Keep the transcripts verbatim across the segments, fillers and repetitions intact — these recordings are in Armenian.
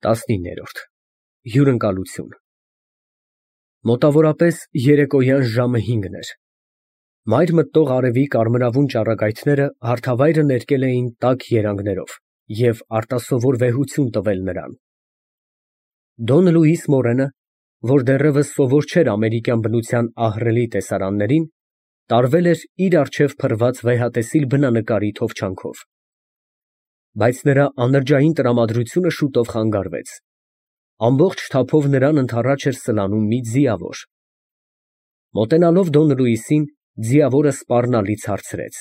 տասնիններորդ Հյուրընկալություն։ Մոտավորապես երեկոյան ժամը հինգն էր։ Մայր մտնող արևի կարմրավուն ճառագայթները հարթավայրը ներկել էին տաք երանգներով և արտասովոր վեհություն տվել նրան։ Դոն Լուիս Մորենը, որ դեռևս սովոր չէր ամերիկյան բնության ահռելի տեսարաններին, տարվել էր իր առջև փռված վեհատեսիլ բնանկարի թովչանքով։ Բայց նրա անրջային տրամադրությունը շուտով խանգարվեց։ Ամբողջ թափով նրան ընդառաջ էր սլանում մի ձիավոր։ Մոտենալով Դոն Լուիսին, ձիավորը սպառնալից հարցրեց.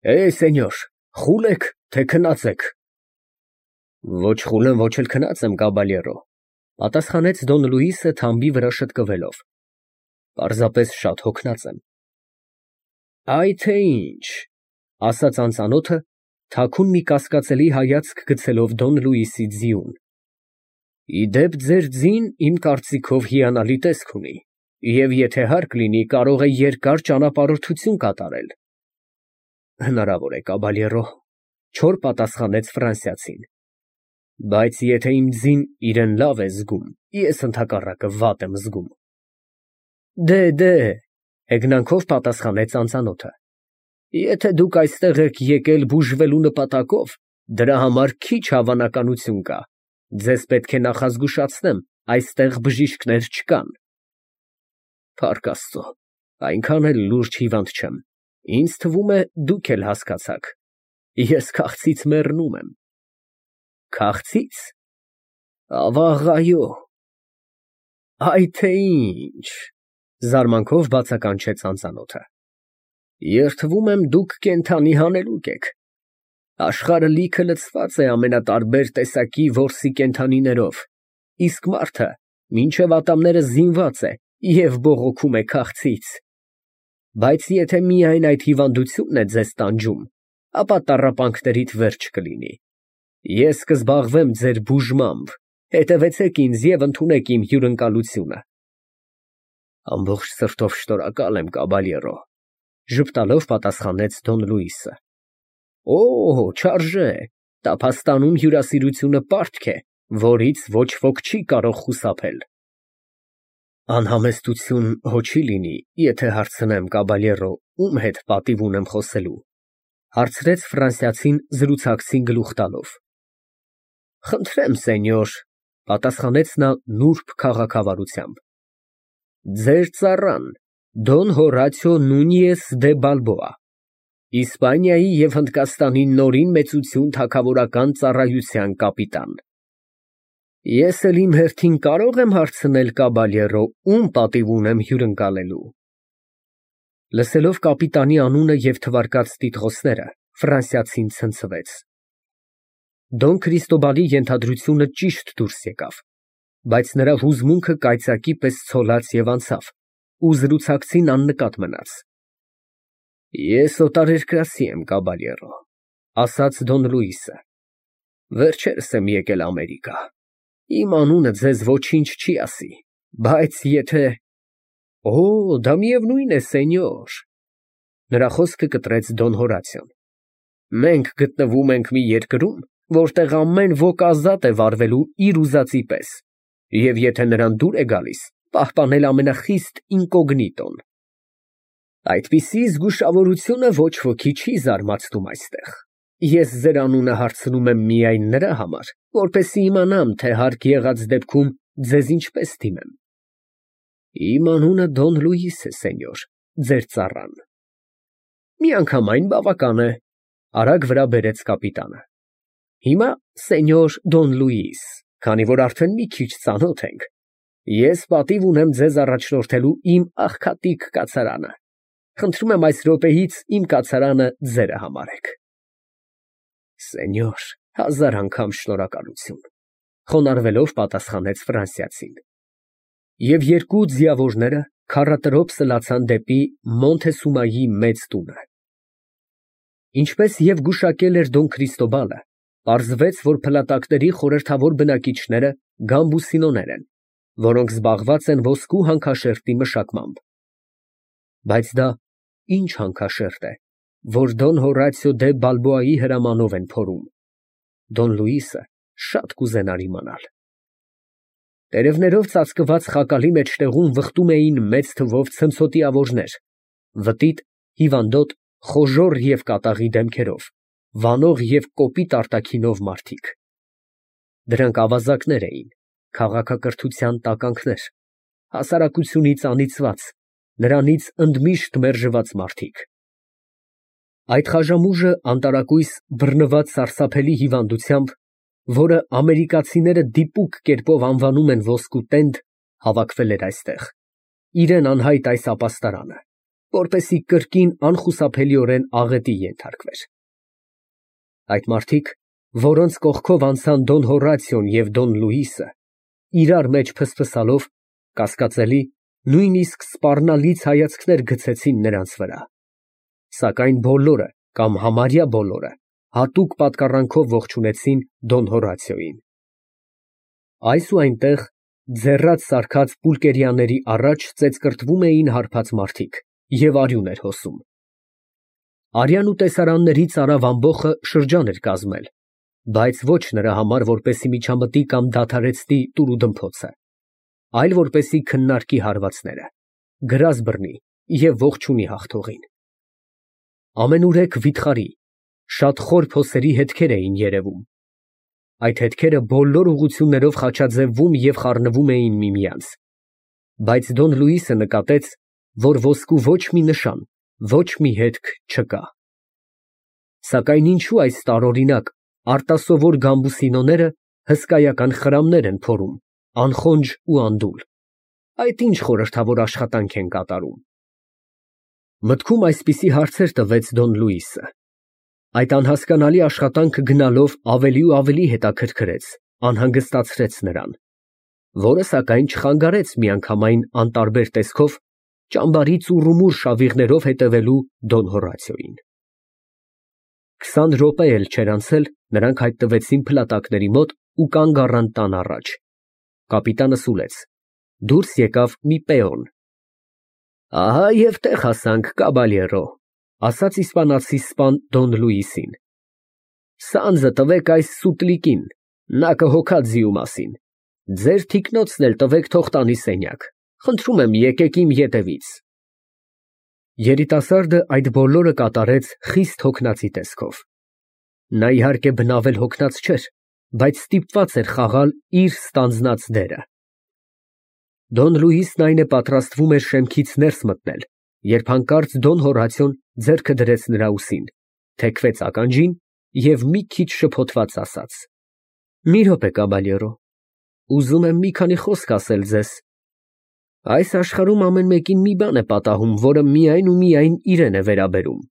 ֊ Է, սենյոր, խուլ եք, թե քնած եք։ ֊ Ոչ խուլ եմ, ոչ էլ քնած եմ, կաբալյերո, ֊ պատասխանեց Դոն Լուիսը թամբի վրա շտկվելով, ֊ պարզապես շատ հոգնած եմ։ ֊ Այ թե ինչ, ֊ ասաց անծանոթը, թաքուն մի կասկածելի հայացք գցելով Դոն Լուիսի ձիուն։ ֊ Ի դեպ, ձեր ձին, իմ կարծիքով, հիանալի տեսք ունի և եթե հարկ լինի, կարող է երկար ճանապարհորդություն կատարել։ ֊ Հնարավոր է, կաբալյերո, ֊ չոր պատասխանեց ֆրանսիացին, ֊ բայց եթե իմ ձին իրան լավ է զգում, ես ընդհակառակը վատ եմ զգում։ ֊ Դե, դե, ֊ հեգնանքով պատասխանեց անծանոթը, ֊ եթե դուք այստեղ եք եկել բուժվելու նպատակով, դրա համար քիչ հավանականություն կա, ձեզ պետք է նախազգուշացնեմ, այստեղ բժիշկներ չկան։ ֊ Փառք Աստծո, այնքան էլ լուրջ հիվանդ չեմ, ինձ թվում է, դուք էլ հասկացաք, ես քաղցից մեռնում եմ։ ֊ Քաղցի՞ց։ ֊ Ավաղ, այո։ ֊ Այ թե ինչ, ֊ զարմանքով բացականչեց անծանոթը, ֊ երդվում եմ, դուք կենդանի հանելուկ եք։ Աշխարհը լիքը լցված է ամենատարբեր տեսակի որսի կենդանիներով, իսկ մարդը մինչև ատամները զինված է և բողոքում է քաղցից։ Բայց եթե միայն այդ հիվանդությունն է ձեզ տանջում, ապա տառապանքներիդ վերջ կլինի։ Ես կզբաղվեմ ձեր բուժմամբ, հետևեցեք ինձ և ընդունեք իմ հյուրընկալությունը։ ֊ Ամբողջ սրտով շնորհակալ եմ, կաբալյերո, ֊ ժպտալով պատասխանեց Դոն Լուիսը։ ֊ Օ, չարժե, տափաստանում հյուրասիրությունը պարտք է, որից ոչ ոք չի կարող խուսափել։ ֊ Անհամեստություն հո չի լինի, եթե հարցնեմ, կաբալյերո, ում հետ պատիվ ունեմ խոսելու, ֊ հարցրեց ֆրանսիացին զրուցակցին գլուխ տալով։ ֊ Խնդրեմ, սենյոր, ֊ պատասխանեց նա նուրբ քաղաքավարությամբ, ֊ ձեր ծառան, Դոն Հորատիո Նունիես դե Բալբոա, Իսպանիայի և Հնդկաստանի նորին մեծություն թագավորական ծառայության կապիտան։ ֊ Ես էլ իմ հերթին կարո՞ղ եմ հարցնել, կաբալյերո, ում պատիվ ունեմ հյուրընկալելու։ Լսելով կապիտանի անունը և թվարկած տիտղոսները, ֆրանսիացին ցնցվեց։ Դոն Քրիստոբալի ենթադրությունը ճիշտ դուրս եկավ, բայց նրա հուզմունքը կայծակի պես ցոլաց և անցավ, ու զրուցակցին աննկատ մնաց։ ֊ Ես օտարերկրացի եմ, կաբալյերո, ֊ ասաց Դոն Լուիսը, ֊ վերջերս եմ եկել Ամերիկա, իմ անունը ձեզ ոչինչ չի ասի, բայց եթե… Օ, դա միևնույն է, սենյոր, ֊ նրա խոսքը կտրեց Դոն Հորատիոն, ֊ մենք գտնվում ենք մի երկրում, որտեղ ամեն ոք ազատ է վարվելու իր ուզածի պես, և եթե նրան դուր է գալիս, պահպանել ամենախիստ ինկոգնիտոն։ Այդպիսի զգուշավորությունը ոչ ոքի չի զարմացնում այստեղ, ես ձեր անունը հարցնում եմ միայն նրա համար, որպեսզի իմանամ, թե հարկ եղած դեպքում ձեզ ինչպես դիմեմ։ ֊ Իմ անունը Դոն Լուիս է, սենյոր, ձեր ծառան։ ֊ Միանգամայն բավական է, ֊ արագ վրա բերեց կապիտանը։ ֊ Հիմա, սենյոր Դոն Լուիս, քանի որ արդեն մի քիչ ծանոթ ենք, ես պատիվ ունեմ ձեզ առաջնորդելու իմ աղքատիկ կացարանը, խնդրում եմ այս րոպեից իմ կացարանը ձերը համարեք։ ֊ Սենյոր, հազար անգամ շնորհակալություն, ֊ խոնարհվելով պատասխանեց ֆրանսիացին։ Եվ երկու ձիավորները քառատրոփ սլացան դեպի Մոնթեսումայի մեծ տունը։ Ինչպես և գուշակել էր Դոն Քրիստոբալը, պարզվեց, որ փլատակների խորհրդավոր բնակիչները գամբուսինոներ են, որոնք զբաղված են ոսկու հանքաշերտի մշակմամբ։ Բայց դա ինչ հանքաշերտ է, որ Դոն Հորատիո դե Բալբոայի հրամանով են փորում։ Դոն Լուիսը շատ կուզենար իմանալ։ Տերևներով ծածկված խակալի մեջտեղում վխտում էին մեծ թվով ցնցոտիավորներ, վտիտ, հիվանդոտ, խոժոռ և կատաղի դեմքերով, վանող և կոպիտ արտաքինով մարդիկ։ Դրանք ավազակներ էին, քաղաքակրթության տականքներ, հասարակությունից անիծված, նրանից ընդմիշտ մերժված մարդիկ։ Այդ խաժամուժը անտարակույս բռնված սարսափելի հիվանդությամբ, որը ամերիկացիները դիպուկ կերպով անվանում են ոսկու տենդ, հավաքվել էր այստեղ, իրեն անհայտ այս ապաստարանը, որպեսզի կրկին անխուսափելիորեն աղետի ենթարկվեր։ Այդ մարդիկ, որոնց կողքով անցան Դոն Հորատիոն և Դոն Լուիսը, իրար մեջ փսփսալով, կասկածելի, նույնիսկ սպառնալից հայացքներ գցեցին նրանց վրա, սակայն բոլորը կամ համարյա բոլորը հատուկ պատկառանքով ողջունեցին Դոն Հորատիոյին։ Այս ու այնտեղ, ձեռած սարքած պուլկերյաների առաջ ծեծկռտվում էին հարբած մարդիկ և արյուն էր հոսում։ Արյան ու տեսարանների ծարավ ամբոխը շրջան էր կազմել, բայց ոչ նրա համար, որպեսզի միջամտի կամ դադարեցնի տուրուդմփոցը, այլ որպեսզի քննարկի հարվածները, գրազ բռնի և ողջունի հաղթողին։ Ամենուրեք վիթխարի, շատ խոր փոսերի հետքեր էին երևում։ Այդ հետքերը բոլոր ուղղություններով խաչաձևվում և խառնվում էին միմյանց, բայց Դոն Լուիսը նկատեց, որ ոսկու ոչ մի նշան, ոչ մի հետք չկա։ Սակայն ինչու այս տարօրինակ, արտասովոր գամբուսինոները հսկայական խրամներ են փորում, անխոնջ ու անդուլ, այդ ինչ խորհրդավոր աշխատանք են կատարում։ Մտքում այսպիսի հարցեր տվեց Դոն Լուիսը։ Այդ անհասկանալի աշխատանքը գնալով ավելի ու ավելի հետաքրքրեց, անհանգստացրեց նրան, որը սակայն չխանգարեց միանգամայն անտարբեր տեսքով ճամբարի ծուռումուռ շավիղներով հետևելու Դոն Հորատիոյին։ Քսան րոպե էլ չէր անցել, նրանք հայտնվեցին փլատակների մոտ ու կանգ առան տան առաջ։ Կապիտանը սուլեց, դուրս եկավ մի պեոն։ Ահա և տեղ հասանք, կաբալյերո, ասաց իսպանացի սպան Դոն Լուիսին։ Սանձը տվեք այս սուտլիկին, նա կհոգա ձիու մասին, ձեր թիկնոցն էլ տվեք թող տանի սենյակ, խնդրում եմ եկեք իմ ետևից։ Երիտասարդը այդ բոլորը կատարեց խիստ հոգնածի տեսքով։ Նա իհարկե բնավել հոգնած չէր, բայց ստիպված էր խաղալ իր ստանձնած դերը։ Դոն Լուիսն այն է պատրաստվում էր շեմքից ներս մտնել, երբ հանկարծ Դոն Հորատիոն ձեռքը դրեց նրա ուսին, թեքվեց ականջին և մի քիչ շփոթված ասաց. Մի րոպե, կաբալյերո, ուզում եմ մի քանի խոսք ասել ձեզ։ Այս աշխարհում ամեն մեկին մի բան է պատահում, որը միայն ու միայն իրան է վերաբերում։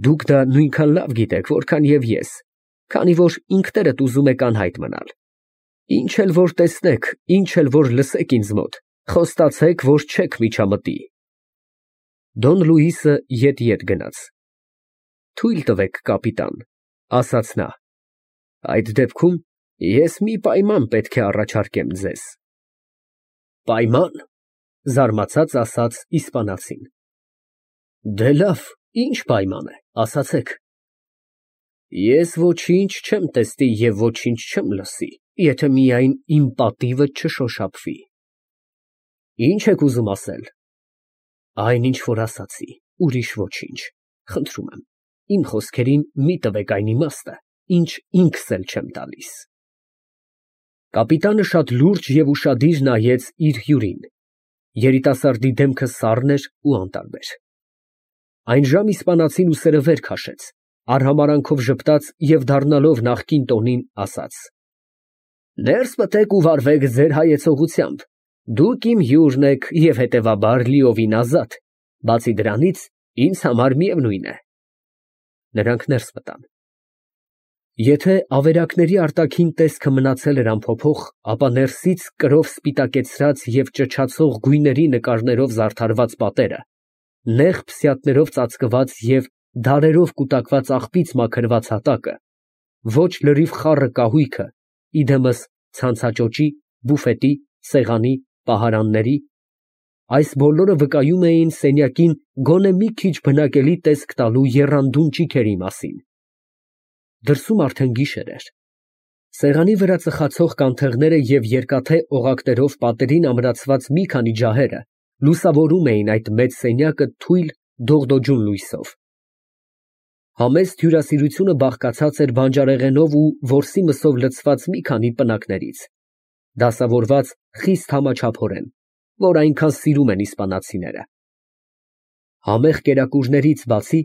Դուք դա նույնքան լավ գիտեք, որքան և ես, քանի որ ինքներդ ուզում եք անհայտ մնալ։ Ինչ էլ որ տեսնեք, ինչ էլ որ լսեք ինձ մոտ, խոստացեք, որ չեք միջամտի։ Դոն Լուիսը ետ֊ետ գնաց։ Թույլ տվեք, կապիտան, ասաց նա, այդ դեպքում ես մի պայման պետք է առաջարկեմ ձեզ։ Պայման, զարմացած ասաց իսպանացին։ Դե լավ, ինչ պայման է, ասացեք։ Ես ոչինչ չեմ տեսնի և ոչինչ չեմ լսի, եթե միայն իմ պատիվը չշոշափվի։ Ինչ եք ուզում ասել։ Այն, ինչ որ ասացի, ուրիշ ոչինչ, խնդրում եմ, իմ խոսքերին մի տվեք այն իմաստը, ինչ ինքս էլ չեմ տալիս։ Կապիտանը շատ լուրջ և ուշադիր նայեց իր հյուրին։ Երիտասարդի դեմքը սառն էր ու անտարբեր։ Այն ժամ իսպանացին ուսերը վեր քաշեց, արհամարանքով ժպտաց և դառնալով նախկին տոնին, ասաց. Ներս մտեք ու վարվեք ձեր հայեցողությամբ, դուք իմ հյուրն եք և հետևաբար լիովին ազատ, բացի դրանից, ինձ համար միևնույն է։ Նրանք ներս մտան։ Եթե ավերակների արտաքին տեսքը մնացել էր անփոփոխ, ապա ներսից կրով սպիտակեցրած և ճչացող գույների նկարներով զարդարված պատերը, նեղ փսյաթներով ծածկված և դարերով կուտակված աղբից մաքրված հատակը, ոչ լրիվ խառը կահույքը, իդեմս ցանցաճոճի, բուֆետի, սեղանի, պահարանների, այս բոլորը վկայում էին սենյակին գոնե մի քիչ բնակելի տեսք տալու եռանդուն ճիգերի մասին։ Դրսում արդեն գիշեր էր։ Սեղանի վրա ծխացող կանթեղները և երկաթե օղակներով պատերին ամրացված մի քանի ջահերը լուսավորում էին այդ մեծ սենյակը թույլ, դողդոջուն լույսով։ Համեստ հյուրասիրությունը բաղկացած էր բանջարեղենով ու որսի մսով լցված մի քանի պնակներից, դասավորված խիստ համաչափորեն, որ այնքան սիրում են իսպանացիները։ Համեղ կերակուրներից բացի,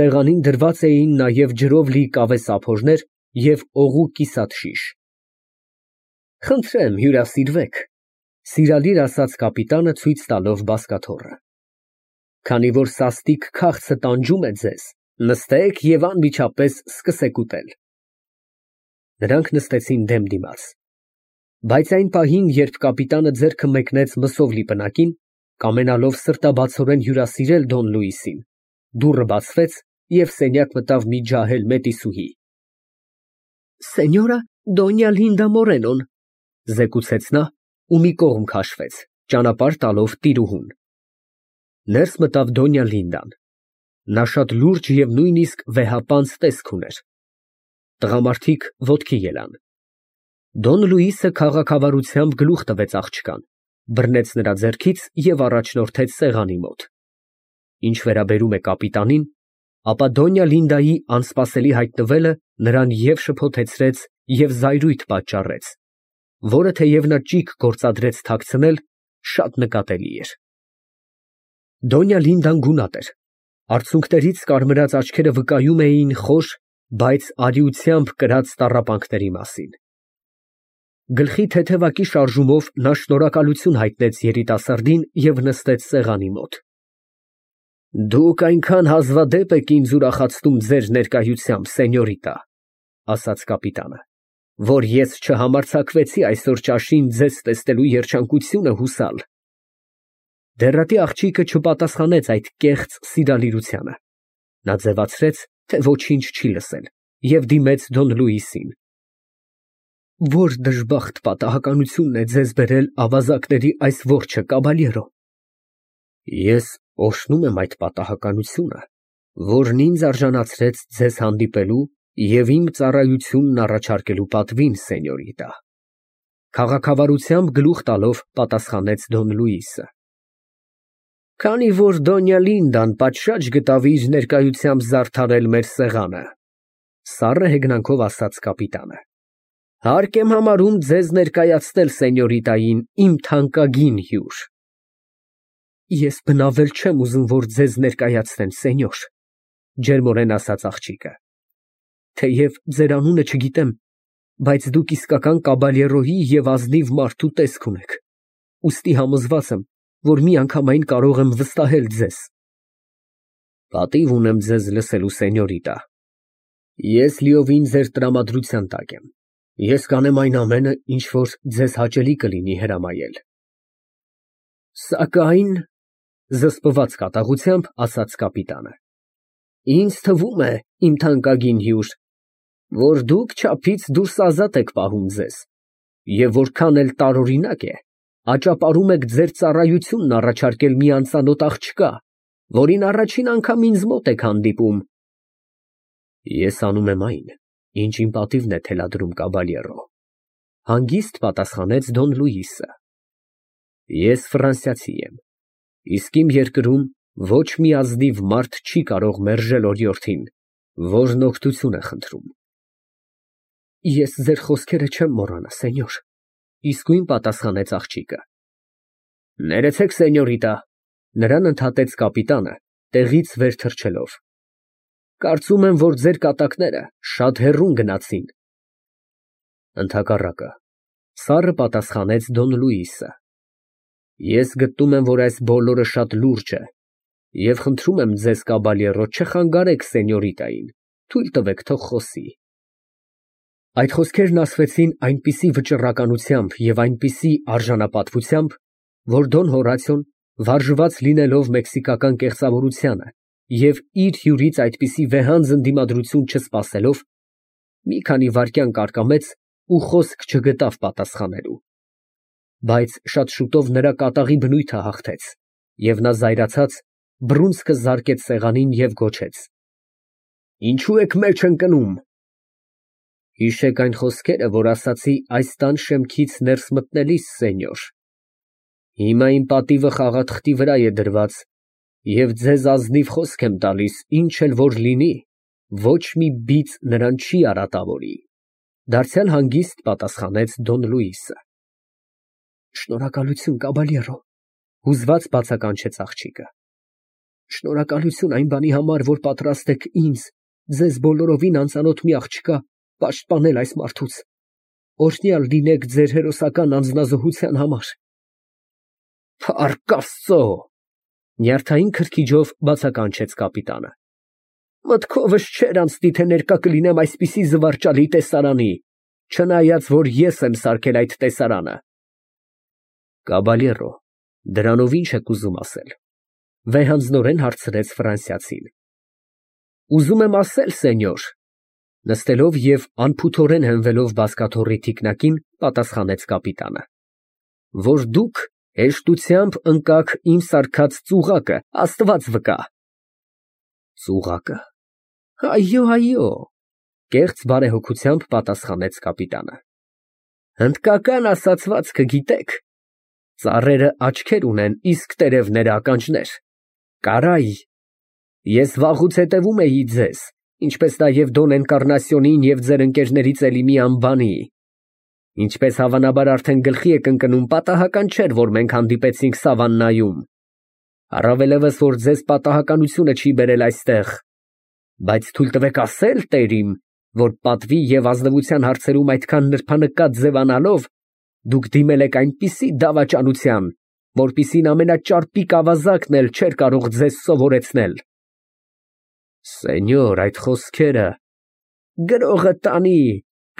սեղանին դրված էին նաև ջրով լի կավե սափորներ և օղու կիսատ շիշ։ ֊ Խնդրեմ հյուրասիրվեք, ֊ սիրալիր ասաց կապիտանը, ցույց տալով բազկաթոռը։ ֊ Քանի որ սաստիկ քաղցը տանջում է ձեզ, նստեք և անմիջապես սկսեք ուտել։ Նրանք նստեցին դեմ դիմաց։ Բայց այն պահին, երբ կապիտանը ձեռքը մեկնեց մսով լի պնակին, կամենալով սրտաբացորեն հյուրասիրել Դոն Լուիսին, դուռը բացվեց և սենյակ մտավ մի ջահել մետիսուհի։ ֊ Սենյորա Դոնյա Լինդա Մորենոն, ֊ զեկուցեց նա ու մի կողմ քաշվեց, ճանապարհ տալով տիրուհուն։ Ներս մտավ Դոնյա Լինդան։ Նա շատ լուրջ և նույնիսկ վեհապանծ տեսք ուներ։ Տղամարդիկ ոտքի ելան։ Դոն Լուիսը քաղաքավարությամբ գլուխ տվեց աղջկան, բռնեց նրա ձեռքից և առաջնորդեց սեղանի մոտ։ Ինչ վերաբերում է կապիտանին, ապա Դոնյա Լինդայի անսպասելի հայտնվելը նրան և շփոթեցրեց, և զայրույթ պատճառեց, որը, թեև նա ճիգ գործադրեց թաքցնել, շատ նկատելի էր։ Դոնյա Լինդան գունատ էր, արցունքներից կարմրած աչքերը վկայում էին խոր, բայց արիությամբ կրած տառապանքների մասին։ Գլխի թեթևակի շարժումով նա շնորհակալություն հայտնեց երիտասարդին և նստեց սեղանի մոտ։ ֊ Դուք այնքան հազվադեպ եք ինձ ուրախացնում ձեր ներկայությամբ, սենյորիտա, ֊ ասաց կապիտանը, ֊ որ ես չհամարձակվեցի այսօր ճաշին ձեզ տեսնելու երջանկությունը հուսալ։ Դեռատի աղջիկը չպատասխանեց այդ կեղծ սիրալիրությանը։ Նա ձևացրեց, թե ոչինչ չի լսել, և դիմեց Դոն Լուիսին։ ֊ Ո՞ր դժբախտ պատահականությունն է ձեզ բերել ավազակների այս որջը, կաբալյերո։ ֊ Ես օրհնում եմ այդ պատահականությունը, որն ինձ արժանացրեց ձեզ հանդիպելու և իմ ծառայությունն առաջարկելու պատվին, սենյորիտա, ֊ քաղաքավարությամբ գլուխ տալով պատասխանեց Դոն Լուիսը։ ֊ Քանի որ Դոնյա Լինդան պատշաճ գտավ իր ներկայությամբ զարդարել մեր սեղանը, ֊ սառը հեգնանքով ասաց կապիտանը, ֊ հարկ եմ համարում ձեզ ներկայացնել սենյորիտային իմ թանկագին հյուր։ ֊ Ես բնավել չեմ ուզում, որ ձեզ ներկայացնեն, սենյոր, ֊ ջերմորեն ասաց աղջիկը, ֊ թեև ձեր անունը չգիտեմ, բայց դուք իսկական կաբալյերոյի և ազնիվ մարդու տեսք ունեք, ուստի համոզված եմ, որ միանգամայն կարող եմ վստահել ձեզ։ ֊ Պատիվ ունեմ ձեզ լսելու, սենյորիտա։ Ես լիովին ձեր տրամադրության տակ եմ։ Ես կանեմ այն ամենը, ինչ որ ձեզ հաճելի կլինի հրամայել։ ֊ Սակայն, ֊ զսպված կատաղությամբ ասաց կապիտանը, ֊ ինձ թվում է, իմ թանկագին հյուր, որ դուք չափից դուրս ազատ եք պահում ձեզ, և որքան էլ տարօրինակ է, աճապարում եք ձեր ծառայությունն առաջարկել մի անծանոթ աղջկա, որին առաջին անգամ ինձ մոտ եք հանդիպում։ ֊ Ես անում եմ այն, ինչ իմ պատիվն է թելադրում, կաբալյերո, ֊ հանգիստ պատասխանեց Դոն Լուիսը։ ֊ Ես ֆրանսիացի եմ, իսկ իմ երկրում ոչ մի ազնիվ մարդ չի կարող մերժել օրիորդին, որն օգնություն է խնդրում։ ֊ Ես ձեր խոսքերը չեմ մոռանա, սենյոր, ֊ իսկույն պատասխանեց աղջիկը։ ֊ Ներեցեք, սենյորիտա, ֊ նրան ընդհատեց կապիտանը, տեղից վեր թռչելով։ ֊ Կարծում եմ, որ ձեր կատակները շատ հեռուն գնացին։ ֊ Ընդհակառակը, ֊ սառը պատասխանեց Դոն Լուիսը։ ֊ Ես գտնում եմ, որ այս բոլորը շատ լուրջ է, և խնդրում եմ ձեզ, կաբալյերո, չխանգարեք սենյորիտային, թույլ տվեք, թող խոսի։ Այդ խոսքերն ասվեցին այնպիսի վճռականությամբ և այնպիսի արժանապատվությամբ, որ Դոն Հորացիոն, վարժված լինելով մեքսիկական կեղծավորությանը և իր հյուրից այդպիսի վեհանձն դիմադրություն չսպասելով, մի քանի վայրկյան կարկամեց ու խոսք չգտավ պատասխանելու։ Բայց շատ շուտով նրա կատաղի բնույթը հաղթեց, և նա զայրացած բռունցքը զարկեց սեղանին և գոչեց. ֊ Ինչո՞ւ եք մեջ ընկնում։ Հիշեք այն խոսքերը, որ ասացի այս տան շեմքից ներս մտնելիս, սենյոր։ Հիմա իմ պատիվը խաղաթղթի վրա է դրված, և ձեզ ազնիվ խոսք եմ տալիս, ինչ էլ որ լինի, ոչ մի բիծ նրան չի արատավորի։ Դարձյալ հանգիստ պատասխանեց Դոն Լուիսը։ Շնորհակալություն, կաբալյերո, հուզված բացականչեց աղջիկը։ Շնորհակալություն այն բանի համար, որ պատրաստ եք ինձ, ձեզ բոլորովին անծանոթ մի աղջկա, պաշտպանել այս մարդուց։ Օրհնյալ լինեք ձեր հերոսական անձնազոհության համար։ Փառք Աստծո, նյարդային քրքիջով բացականչեց կապիտանը։ Մտքովս չէր անցնի, թե ներկա կլինեմ այսպիսի զվարճալի տեսարանի, չնայած որ ես եմ սարքել այդ տեսարանը։ Կաբալյերո, դրանով ինչ եք ուզում ասել, վեհանձնորեն հարցրեց ֆրանսիացին։ Ուզում եմ ասել, սենյոր, նստելով և անփութորեն հենվելով բազկաթոռի թիկնակին, պատասխանեց կապիտանը, որ դուք հեշտությամբ ընկաք իմ սարքած ծուղակը, Աստված վկա։ Ծուղակը։ Այո, այո, կեղծ բարեհոգությամբ պատասխանեց կապիտանը։ Հնդկական ասացվածքը գիտեք, ծառերը աչքեր ունեն, իսկ տերևները ականջներ։ Կարայ, ես վաղուց հետևում էի ձեզ, ինչպես նաև Դոն Էնկառնասիոնին և ձեր ընկերներից էլի մի անբանի։ Ինչպես հավանաբար արդեն գլխի եք ընկնում, պատահական չէր, որ մենք հանդիպեցինք սավաննայում։ Առավելևս, որ ձեզ պատահականությունը չի բերել այստեղ։ Բայց թույլ տվեք ասել, տերիմ, որ պատվի և ազնվության հարցերում այդքան նրբանկատ ձևանալով, դուք դիմել եք այնպիսի դավաճանության, որպիսին ամենաճարպիկ ավազակն էլ չէր կարող ձեզ սովորեցնել։ Սենյոր, այդ խոսքերը… Գրողը տանի,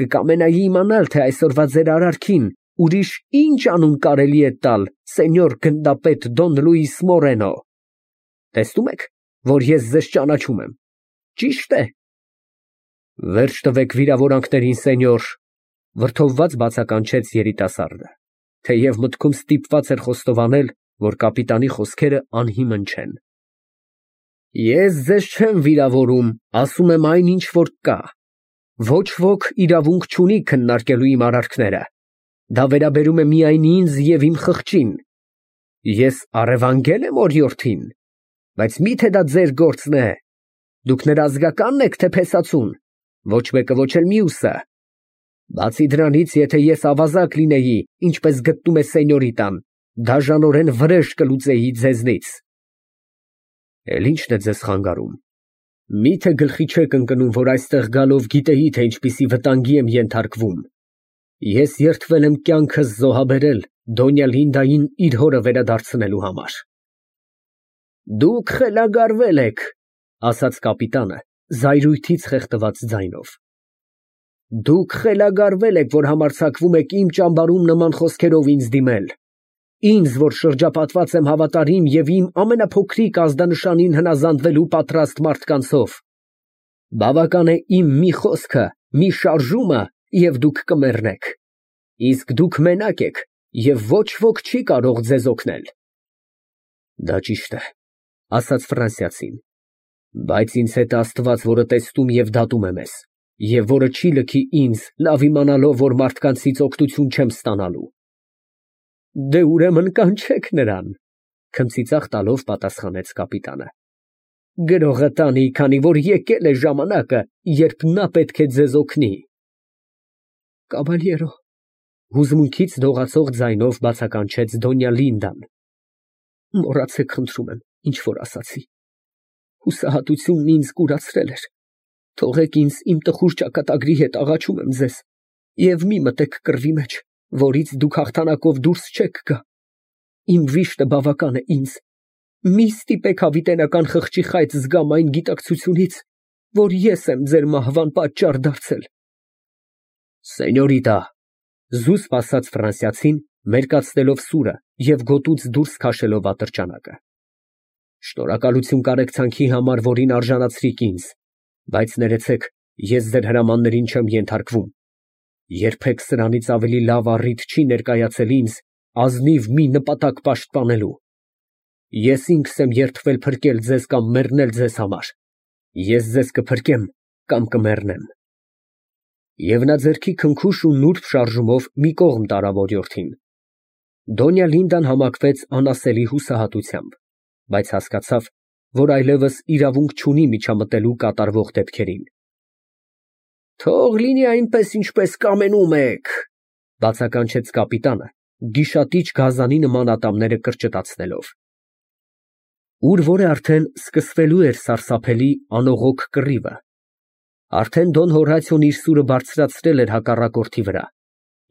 կկամենայի իմանալ, թե այսօրվա ձեր արարքին ուրիշ ինչ անուն կարելի է տալ, սենյոր գնդապետ Դոն Լուիս Մորենո։ Տեսնում եք, որ ես ձեզ ճանաչում եմ, ճի՞շտ է։ Վերջ տվեք վիրավորանքներին, սենյոր, վրդովված բացականչեց երիտասարդը, թեև մտքում ստիպված էր խոստովանել, որ կապիտանի խոսքերը անհիմն չեն։ Ես ձեզ չեմ վիրավորում, ասում եմ այն, ինչ որ կա։ Ոչ ոք իրավունք չունի քննարկելու իմ արարքները։ Դա վերաբերում է միայն ինձ և իմ խղճին։ Ես առևանգել եմ օրիորդին, բայց մի՞թե դա ձեր գործն է։ Դուք նրա ազգակա՞նն եք, թե փեսացուն։ Ոչ մեկը, ոչ էլ մյուսը։ Բացի դրանից, եթե ես ավազակ լինեի, ինչպես գտնում է սենյորիտան, դաժանորեն վրեժ կլուծեի ձեզնից։ Էլ ի՞նչն է ձեզ խանգարում։ Մի՞թե գլխի չեք ընկնում, որ այստեղ գալով գիտեի, թե ինչպիսի վտանգի եմ ենթարկվում։ Ես երդվել եմ կյանքս զոհաբերել Դոնյա Լինդային իր հորը վերադարձնելու համար։ Դուք խելագարվել եք, ասաց կապիտանը, զայրույթից խեղդված ձայնով։ Դուք խելագարվել եք, որ համարձակվում եք իմ ճամբարում նման խոսքերով ինձ դիմել։ Ինձ, որ շրջապատված եմ հավատարիմ և իմ ամենափոքրիկ ազդանշանին հնազանդվելու պատրաստ մարդկանցով։ Բավական է իմ մի խոսքը, մի շարժումը, և դուք կմեռնեք։ Իսկ դուք մենակ եք, և ոչ ոք չի կարող ձեզ օգնել։ Դա ճիշտ է, ասաց ֆրանսիացին, բայց ինձ հետ Աստված, որը տեսնում և դատում է մեզ, և որը չի լքի ինձ, լավ իմանալով, որ մարդկանցից օգնություն չեմ ստանալու։ Դե ուրեմն կանչեք նրան, քմծիծաղ տալով պատասխանեց կապիտանը։ Գրողը տանի, քանի որ եկել է ժամանակը, երբ նա պետք է ձեզ օգնի։ Կաբալյերո, հուզմունքից դողացող ձայնով բացականչեց Դոնյա Լինդան։ Մոռացեք, խնդրում եմ, ինչ որ ասացի։ Հուսահատությունն ինձ կուրացրել էր։ Թողեք ինձ իմ տխուր ճակատագրի հետ աղաչում եմ ձեզ, և մի մտեք կռվի մեջ, որից դուք հաղթանակով դուրս չեք գա։ Իմ վիշտը բավական է ինձ։ Մի ստիպեք հավիտենական խղճի խայծ զգամ այն գիտակցությունից, որ ես եմ ձեր մահվան պատճառ դարձել։ Սենյորիտա, զուսպ ասաց ֆրանսիացին, մերկացնելով սուրը և գոտուց դուրս քաշելով ատրճանակը։ Շնորհակալություն կարեկցանքի համար, որին արժանացրիք ինձ, բայց ներեցեք, ես ձեր հրամաններին չեմ ենթարկվում։ Երբեք սրանից ավելի լավ առիթ չի ներկայացել ինձ ազնիվ մի նպատակ պաշտպանելու։ Ես ինքս եմ երդվել փրկել ձեզ կամ մեռնել ձեզ համար։ Ես ձեզ կփրկեմ կամ կմեռնեմ։ Եվ նա ձեռքի քնքուշ ու նուրբ շարժումով մի կողմ տարավ օրիորդին։ Դոնյա Լինդան համակվեց անասելի հուսահատությամբ, բայց հասկացավ, որ այլևս իրավունք չունի միջամտելու կատարվող դեպքերին։ Թող լինի այնպես, ինչպես կամենում եք, բացականչեց կապիտանը, գիշատիչ գազանի նման ատամները կրճտացնելով։ Ուր որ է արդեն սկսվելու էր սարսափելի անողոք կռիվը, արդեն Դոն Հորատիոն իր սուրը բարձրացրել էր հակառակորդի վրա,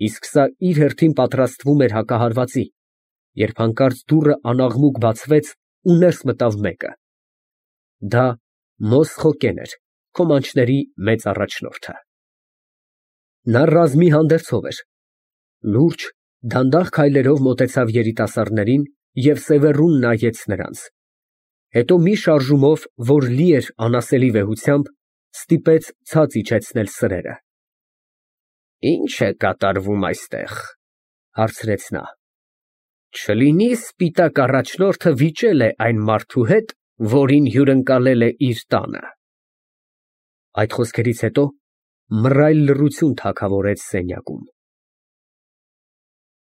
իսկ սա իր հերթին պատրաստվում էր հակահարվածի, երբ հանկարծ դուռը անաղմուկ բացվեց ու ներս մտավ մեկը։ Դա Մոսխոկեն էր, քոմանչների մեծ առաջնորդը։ Նա ռազմի հանդերձով էր, լուրջ, դանդաղ քայլերով մոտեցավ երիտասարդներին և սևեռուն նայեց նրանց, հետո մի շարժումով, որ լի էր անասելի վեհությամբ, ստիպեց ցած իջեցնել սրերը։ Ի՞նչ է կատարվում այստեղ, հարցրեց նա։ Չլինի սպիտակ առաջնորդը վիճել է այն մարդու հետ, որին հյուրընկալել է իր տանը։ Այդ խոսքերից հետո մռայլ լռություն թագավորեց սենյակում։